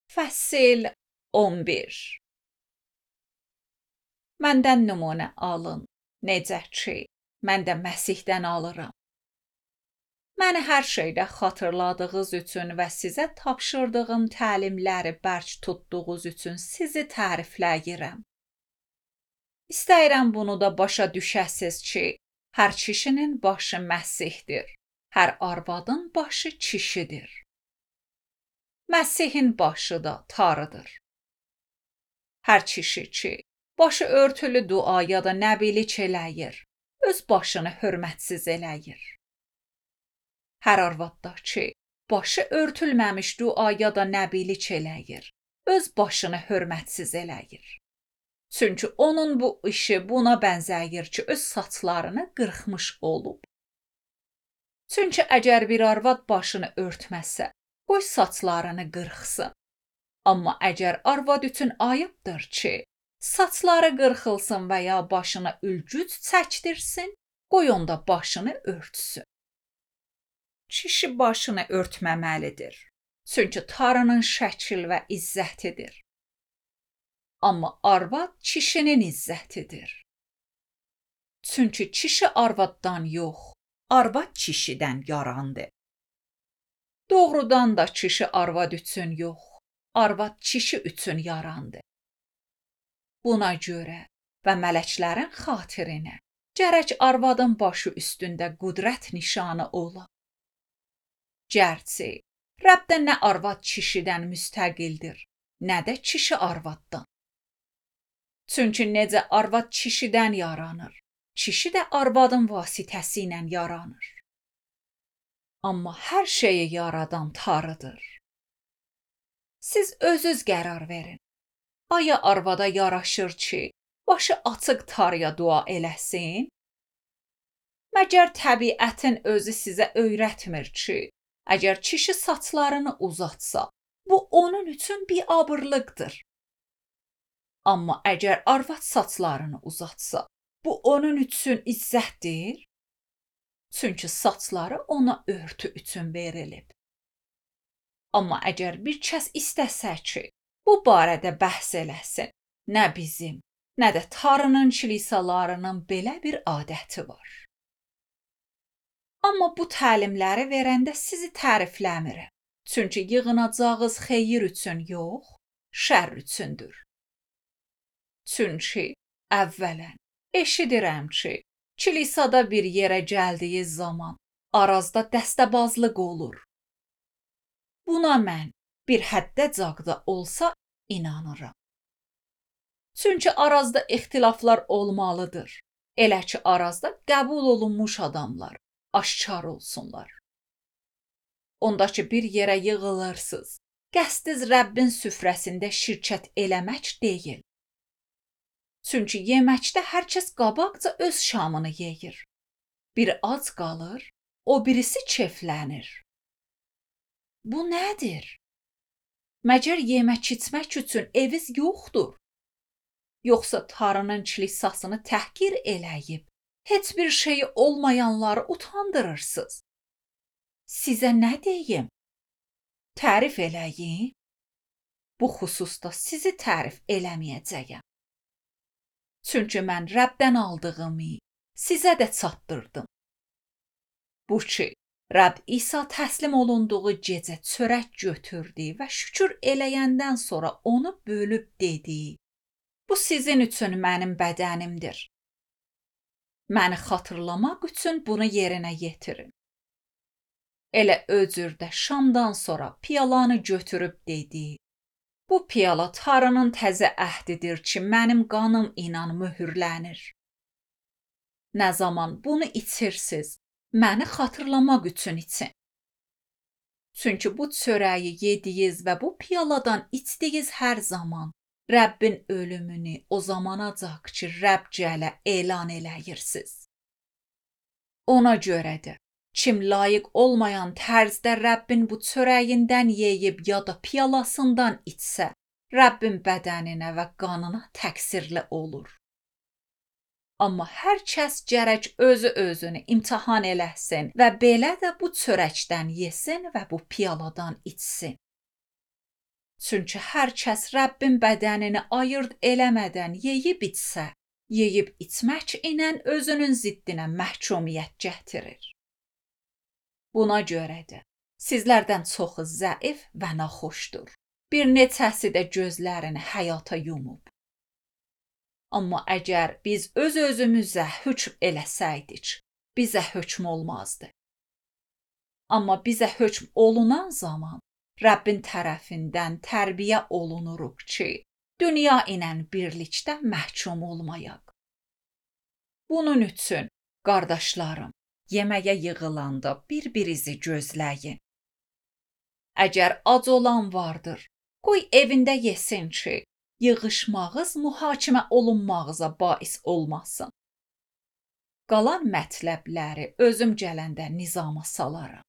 Fəsil 11. Məndən nümunə alın, necə ki, mən də Məsihdən alıram. Məni hər şeydə xatırladığınız üçün və sizə tapşırdığım təlimləri bərk tutduğunuz üçün sizi tərifləyirəm. İstəyirəm bunu da başa düşəsiz ki, hər kişinin başı Məsihdir, hər arvadın başı kişidir. Məsihin başı da Tanrıdır. Hər kişi ki, başı örtülü dua ya da nəbilik eləyir, öz başını hörmətsiz eləyir. Hər arvad da ki, başı örtülməmiş dua ya da nəbilik eləyir, öz başını hörmətsiz eləyir. Çünki onun bu işi buna bənzəyir ki, öz saçlarını qırxmış olub. Çünki əgər bir arvad başını örtməsə, qoy saçlarını qırxsın. Amma əgər arvad üçün ayıbdır ki, saçları qırxılsın və ya başına ülgüc çəkdirsin, qoy onda başını örtsün. Kişi başını örtməməlidir. Çünki Tanrının şəkil və izzətidir. Amma arvad kişinin izzətidir. Çünki kişi arvaddan yox, arvad kişidən yarandı. Doğrudan da kişi arvad üçün yox, arvad kişi üçün yarandı. Buna görə və mələklərin xatirinə gərək arvadın başı üstündə qüdrət nişanı ola. Gərçi, Rəbdə nə arvad kişidən müstəqildir, nə də kişi arvaddan. Çünki necə arvad kişidən yaranır, kişi də arvadın vasitəsi ilə yaranır. Amma hər şeyi yaradan Tanrıdır. Siz özünüz qərar verin. Aya arvada yaraşır ki, başı açıq Tanrıya dua eləsin? Məgər təbiətin özü sizə öyrətmir ki, əgər kişi saçlarını uzatsa, bu onun üçün biabırlıqdır. Amma əgər arvad saçlarını uzatsa, bu onun üçün izzətdir. Çünki saçları ona örtü üçün verilib. Amma əgər bir kəs istəsə ki, bu barədə bəhs eləsin, nə bizim, nə də Tanrının kilisalarının belə bir adəti var. Amma bu təlimləri verəndə sizi tərifləmirəm. Çünki yığınacağınız xeyir üçün yox, şər üçündür. Çünki əvvələn eşidirəm ki, kilisada bir yerə gəldiyi zaman arazda dəstəbazlıq olur. Buna mən bir həddəcaqda olsa inanıram. Çünki arazda ixtilaflar olmalıdır. Elə ki, arazda qəbul olunmuş adamlar aşkar olsunlar. Ondakı bir yerə yığılırsınız. Qəsdiz Rəbbin süfrəsində şirkət eləmək deyil. Çünki yeməkdə hər kəs qabaqca öz şamını yeyir. Biri ac qalır, o birisi keflənir. Bu nədir? Məgər yemək içmək üçün eviz yoxdur? Yoxsa Tanrının kilisasını təhqir eləyib, heç bir şeyi olmayanları utandırırsınız. Sizə nə deyim? Tərif eləyim? Bu xüsusda sizi tərif eləməyəcəyəm. Çünki mən Rəbdən aldığımı sizə də çatdırdım. Bu ki, Rəbb İsa təslim olunduğu gecə çörək götürdü və şükür eləyəndən sonra onu bölüb dedi: Bu sizin üçün mənim bədənimdir. Məni xatırlamaq üçün bunu yerinə yetirin. Elə öcürdə şamdan sonra piyalanı götürüb dedi: Bu piyala Tanrının təzə əhdidir ki, mənim qanım ilə möhürlənir. Nə zaman bunu içirsiniz, məni xatırlamaq üçün için. Çünki bu çörəyi yediniz və bu piyaladan içdiniz hər zaman Rəbbin ölümünü o zamanacaq ki, Rəbb gələ elan eləyirsiniz. Ona görədir, kim layiq olmayan tərzdə Rəbbin bu çörəyindən yeyib ya da piyalasından içsə, Rəbbin bədəninə və qanına təqsirli olur. Amma hər kəs gərək özünü imtahan eləsin və belə də bu çörəkdən yesin və bu piyaladan içsin. Çünki hər kəs Rəbbin bədənini ayırd eləmədən yeyib içsə, yeyib içmək ilə özünün ziddinə məhkumiyyət gətirir. Buna görə də sizlərdən çoxu zəif və naxoşdur. Bir neçəsi də gözlərini həyata yumub. Amma əgər biz öz-özümüzə hökm eləsəydik, bizə hökm olmazdı. Amma bizə hökm olunan zaman Rəbbin tərəfindən tərbiyə olunuruq ki, dünya ilə birlikdə məhkum olmayaq. Bunun üçün, qardaşlarım, yeməyə yığılanda bir-birinizi gözləyin. Əgər ac olan vardır, qoy evində yesin ki, yığışmağız mühakimə olunmağıza bais olmasın. Qalan mətləbləri özüm gələndə nizama salaram.